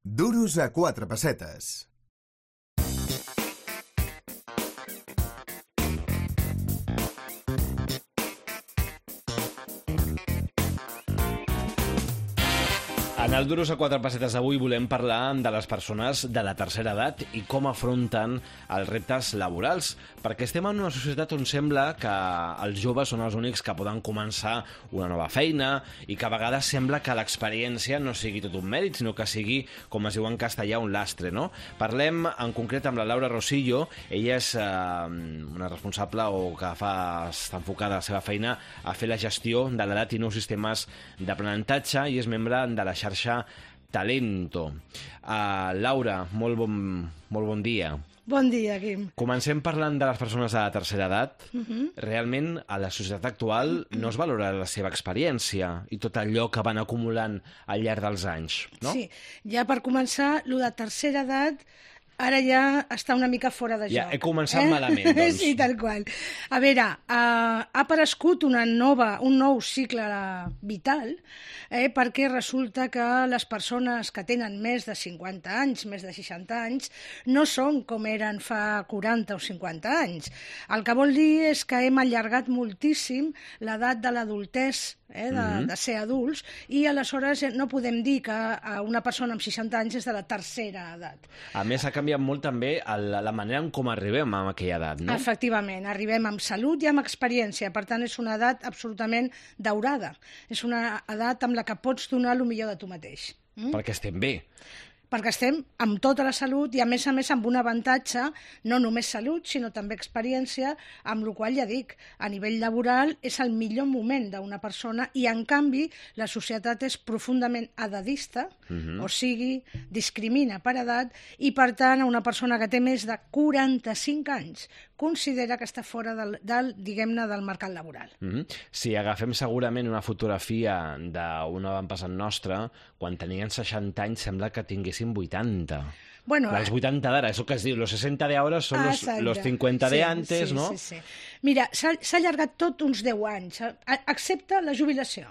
Duros a 4 pessetes. En el Duros a 4 pessetes avui volem parlar de les persones de la tercera edat i com afronten els reptes laborals, perquè estem en una societat on sembla que els joves són els únics que poden començar una nova feina i que a vegades sembla que l'experiència no sigui tot un mèrit, sinó que sigui, com es diu en castellà, un lastre, no? Parlem en concret amb la Laura Rosillo. Ella és una responsable o que està enfocada a la seva feina a fer la gestió de l'edat i nous sistemes d'aprenentatge i és membre de la xarxa Talento. Laura, molt bon dia. Bon dia, Guim. Comencem parlant de les persones de la tercera edat. Realment, a la societat actual no es valora la seva experiència i tot allò que van acumulant al llarg dels anys, no? Sí, ja per començar, el de tercera edat ara ja està una mica fora de joc. Ja he començat malament, doncs. Sí, tal qual. A veure, ha aparegut un nou cicle vital, perquè resulta que les persones que tenen més de 50 anys, més de 60 anys, no són com eren fa 40 o 50 anys. El que vol dir és que hem allargat moltíssim l'edat de l'adultès, de ser adults, i aleshores no podem dir que una persona amb 60 anys és de la tercera edat. A més, ha canviat molt també la manera en com arribem a aquella edat, no? Efectivament, arribem amb salut i amb experiència, per tant és una edat absolutament daurada, és una edat amb la que pots donar el millor de tu mateix. Perquè estem bé. Perquè estem amb tota la salut i, a més amb un avantatge, no només salut, sinó també experiència, amb la qual, ja dic, a nivell laboral és el millor moment d'una persona i, en canvi, la societat és profundament edadista, o sigui, discrimina per edat i, per tant, a una persona que té més de 45 anys considera que està fora diguem-ne, del mercat laboral. Si agafem segurament una fotografia d'un avantpassat nostre, quan tenien 60 anys sembla que tinguessin 80. Bueno, los 80 d'ara, eso que es diu, los 60 de ahora son los 50 de antes, no? Sí. Mira, s'ha allargat tot uns 10 anys, excepte la jubilació.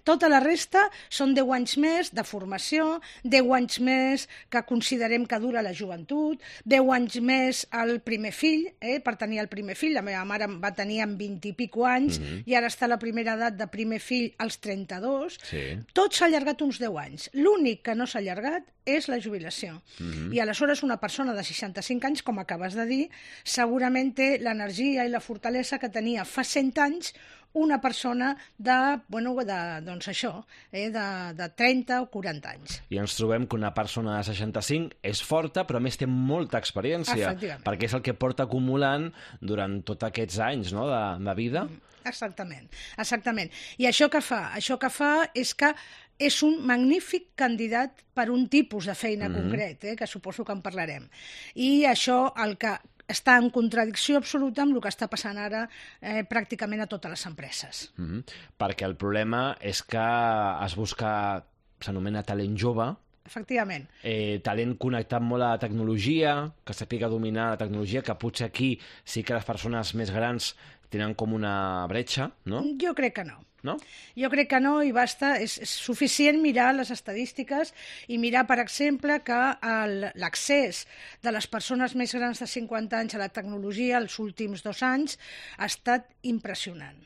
Tota la resta són 10 anys més de formació, 10 anys més que considerem que dura la joventut, 10 anys més el primer fill, per tenir el primer fill. La meva mare va tenir amb 20 i pico anys i ara està a la primera edat de primer fill als 32. Sí. Tot s'ha allargat uns 10 anys. L'únic que no s'ha allargat és la jubilació. I aleshores una persona de 65 anys, com acabes de dir, segurament té l'energia i la fortalesa que tenia fa 100 anys una persona de 30 o 40 anys. I ens trobem que una persona de 65 és forta, però a més té molta experiència, perquè és el que porta acumulant durant tots aquests anys, no?, de vida. Exactament. I això que fa? Això que fa és que és un magnífic candidat per un tipus de feina concret, que suposo que en parlarem. I això el que està en contradicció absoluta amb el que està passant ara pràcticament a totes les empreses. Perquè el problema és que es busca, s'anomena talent jove. Efectivament. Talent connectat molt a la tecnologia, que sàpiga dominar la tecnologia, que potser aquí sí que les persones més grans tenen com una bretxa, no? Jo crec que no. No? Jo crec que no, i basta, és suficient mirar les estadístiques i mirar, per exemple, que l'accés de les persones més grans de 50 anys a la tecnologia els últims 2 anys ha estat impressionant.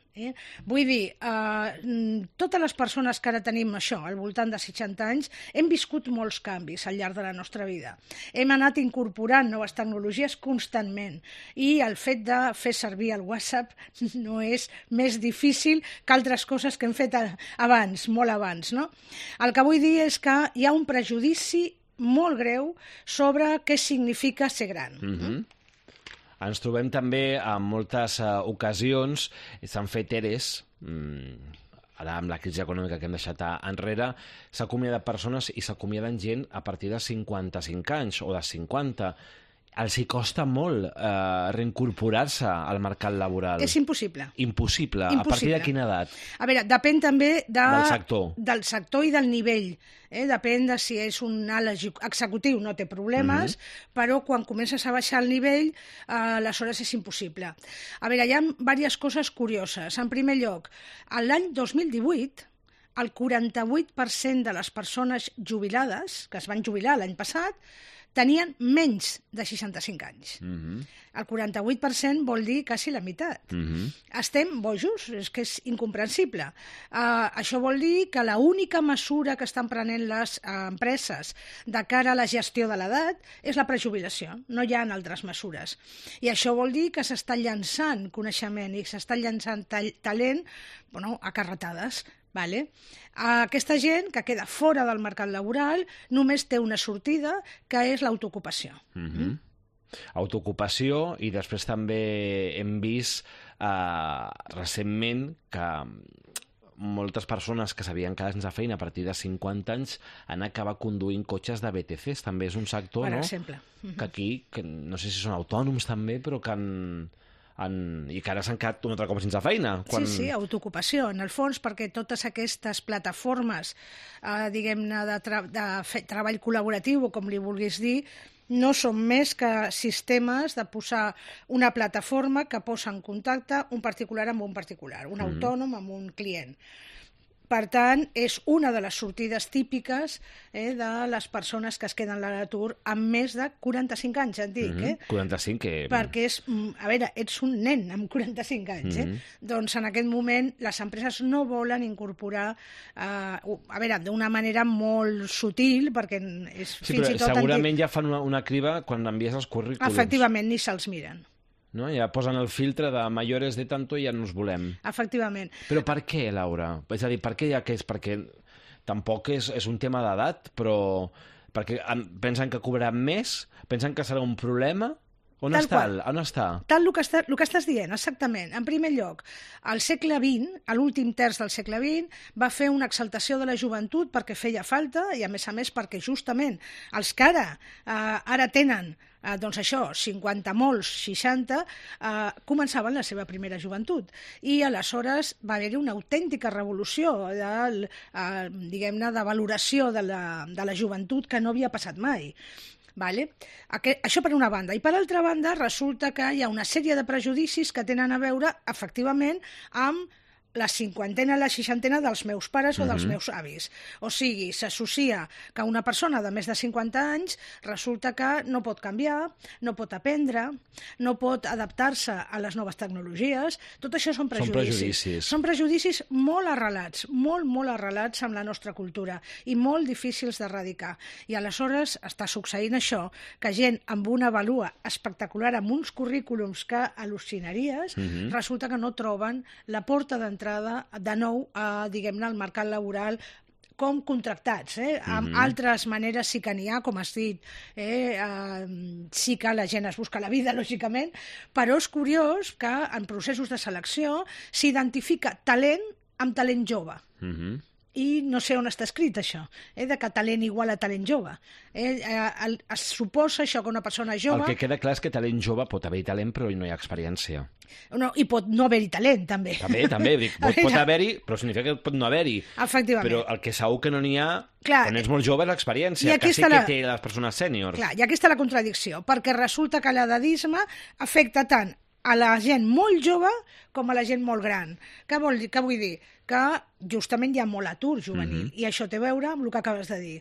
Vull dir, totes les persones que ara tenim això, al voltant de 60 anys, hem viscut molts canvis al llarg de la nostra vida. Hem anat incorporant noves tecnologies constantment i el fet de fer servir el WhatsApp no és més difícil que altres coses que hem fet abans, molt abans, no? El que vull dir és que hi ha un prejudici molt greu sobre què significa ser gran. Ens trobem també en moltes ocasions, s'han fet EREs, ara amb la crisi econòmica que hem deixat enrere, s'ha acomiadat persones i s'acomiaden gent a partir de 55 anys o de 50. Els hi costa molt reincorporar-se al mercat laboral. És impossible. Impossible. A partir de quina edat? A veure, depèn també del sector i del nivell. Depèn de si és un alt executiu, no té problemes, però quan comences a baixar el nivell, aleshores és impossible. A veure, hi ha diverses coses curioses. En primer lloc, l'any 2018 el 48% de les persones jubilades, que es van jubilar l'any passat, tenien menys de 65 anys. El 48% vol dir quasi la meitat. Estem bojos, és que és incomprensible. Això vol dir que l'única mesura que estan prenent les empreses de cara a la gestió de l'edat és la prejubilació, no hi ha altres mesures. I això vol dir que s'està llançant coneixement i s'està llançant talent a carretades. Vale? Aquesta gent que queda fora del mercat laboral només té una sortida, que és l'autoocupació. Autoocupació, i després també hem vist recentment que moltes persones que s'havien quedat sense feina a partir de 50 anys han acabat conduint cotxes de BTCs. També és un sector, per exemple. Que aquí, no sé si són autònoms també, però que i que ara s'han quedat un altre cop sense feina. Sí, autoocupació, en el fons, perquè totes aquestes plataformes, diguem-ne, de treball col·laboratiu, o com li vulguis dir, no són més que sistemes de posar una plataforma que posa en contacte un particular amb un particular, un autònom amb un client. Per tant, és una de les sortides típiques de les persones que es queden a l'atur amb més de 45 anys, et dic. 45, que... Perquè ets un nen amb 45 anys. Doncs en aquest moment les empreses no volen incorporar, d'una manera molt sutil, perquè és fins i tot... Segurament ja fan una criba quan envies els currículums. Efectivament, ni se'ls miren. No? Ja posen el filtre de mayores de tanto i ja no els volem. Efectivament. Però per què, Laura? És a dir, per què ja que és? Perquè tampoc és un tema d'edat, però perquè pensen que cobraran més? Pensen que serà un problema? On està? Tal el que estàs dient, exactament. En primer lloc, al segle XX, a l'últim terç del segle XX, va fer una exaltació de la joventut perquè feia falta i, a més perquè justament els que ara tenen 50 molts, 60, començaven la seva primera joventut. I aleshores va haver-hi una autèntica revolució diguem-ne, de valoració de la joventut que no havia passat mai. Vale? Això per una banda. I per altra banda, resulta que hi ha una sèrie de prejudicis que tenen a veure, efectivament, amb la cinquantena, la seixantena dels meus pares o dels meus avis. O sigui, s'associa que una persona de més de 50 anys resulta que no pot canviar, no pot aprendre, no pot adaptar-se a les noves tecnologies. Tot això són prejudicis. Són prejudicis molt arrelats, molt arrelats amb la nostra cultura i molt difícils d'erradicar. I aleshores està succeint això, que gent amb una vàlua espectacular, amb uns currículums que al·lucinaries, resulta que no troben la porta d'entrada de nou, diguem-ne, al mercat laboral com contractats. Amb altres maneres sí que n'hi ha, com has dit, sí que la gent es busca la vida, lògicament, però és curiós que en processos de selecció s'identifica talent amb talent jove. I no sé on està escrit això, de que talent igual a talent jove. Es suposa això que una persona jove... El que queda clar és que talent jove pot haver-hi talent però no hi ha experiència. No, i pot no haver-hi talent, també. També, dic, pot haver-hi, però significa que pot no haver-hi. Efectivament. Però el que segur que no n'hi ha, quan ets molt jove, és l'experiència, que sí que té les persones sèniors. Clar, i aquí està la contradicció, perquè resulta que l'edadisme afecta tant a la gent molt jove com a la gent molt gran. Què vull dir? Que justament hi ha molt atur juvenil, i això té a veure amb el que acabes de dir.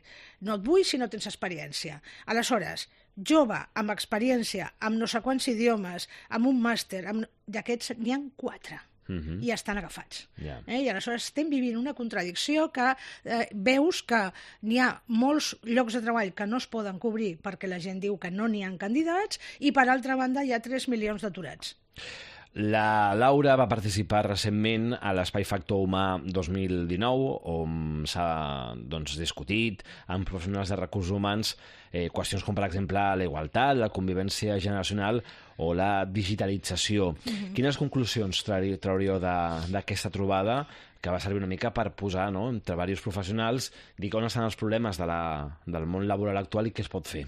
No et vull si no tens experiència. Aleshores, jove, amb experiència, amb no sé quants idiomes, amb un màster, d'aquests n'hi ha 4. I estan agafats. I aleshores estem vivint una contradicció que veus que n'hi ha molts llocs de treball que no es poden cobrir perquè la gent diu que no n'hi ha candidats i, per altra banda, hi ha 3 milions d'aturats. La Laura va participar recentment a l'Espai Factor Humà 2019, on s'ha discutit amb professionals de recursos humans qüestions com, per exemple, la igualtat, la convivència generacional o la digitalització. Quines conclusions trauríeu d'aquesta trobada, que va servir una mica per posar entre diversos professionals, dir on estan els problemes del món laboral actual i què es pot fer?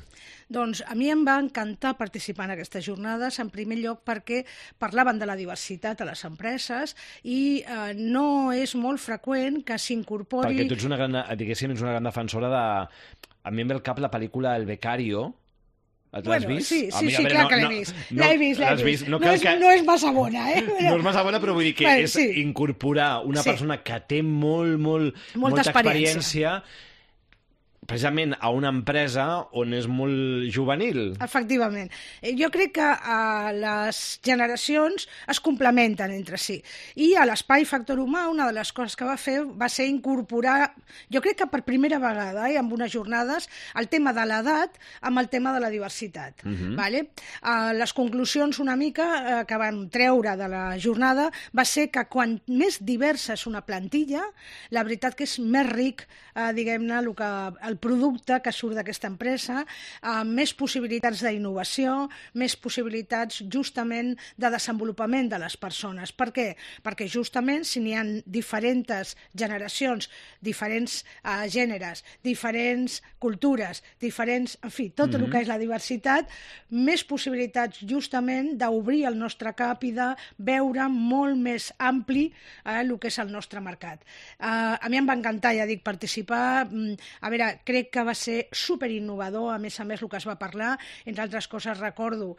Doncs a mi em va encantar participar en aquestes jornades, en primer lloc perquè parlaven de la diversitat a les empreses i no és molt freqüent que s'incorpori... Perquè tu ets una gran defensora de... A mi em ve al cap la pel·lícula El Becario, L'has vist? Sí, clar que l'he vist. L'he vist. No és massa bona, No és massa bona, però vull dir que és incorporar una persona que té molta experiència precisament a una empresa on és molt juvenil. Efectivament. Jo crec que les generacions es complementen entre si. I a l'Espai Factor Humà una de les coses que va fer va ser incorporar, jo crec que per primera vegada, amb unes jornades, el tema de l'edat amb el tema de la diversitat. Vale? Les conclusions una mica que van treure de la jornada va ser que quan més diversa és una plantilla, la veritat que és més ric, diguem-ne, el producte que surt d'aquesta empresa, més possibilitats d'innovació, més possibilitats justament de desenvolupament de les persones. Per què? Perquè justament si n'hi ha diferents generacions, diferents gèneres, diferents cultures, diferents, en fi, tot el que és la diversitat, més possibilitats justament d'obrir el nostre cap i de veure molt més ampli el que és el nostre mercat. A mi em va encantar, ja dic, participar. A veure, crec que va ser superinnovador, a més el que es va parlar, entre altres coses recordo,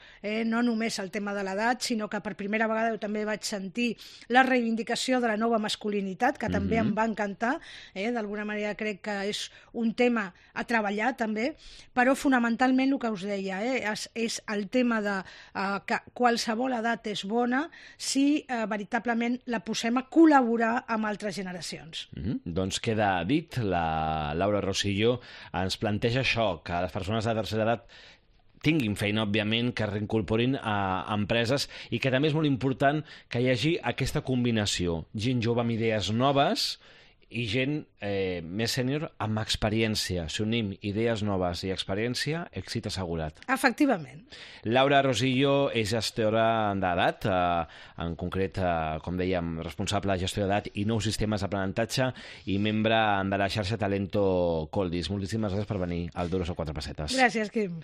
no només el tema de l'edat, sinó que per primera vegada jo també vaig sentir la reivindicació de la nova masculinitat, que també em va encantar, d'alguna manera crec que és un tema a treballar també, però fonamentalment el que us deia, és el tema de que qualsevol edat és bona si veritablement la posem a col·laborar amb altres generacions. Doncs queda dit, la Laura Rosillo ens planteja això, que les persones de tercera edat tinguin feina, òbviament, que reincorporin a empreses i que també és molt important que hi hagi aquesta combinació, gent jove amb idees noves i gent més sènior amb experiència. Si unim idees noves i experiència, èxit assegurat. Efectivament. Laura Rosillo és gestora d'edat, en concret, com dèiem, responsable de gestió d'edat i nous sistemes d'aprenentatge i membre de la xarxa Talento Coldis. Moltíssimes gràcies per venir al Duros a 4 pessetes. Gràcies, Quim.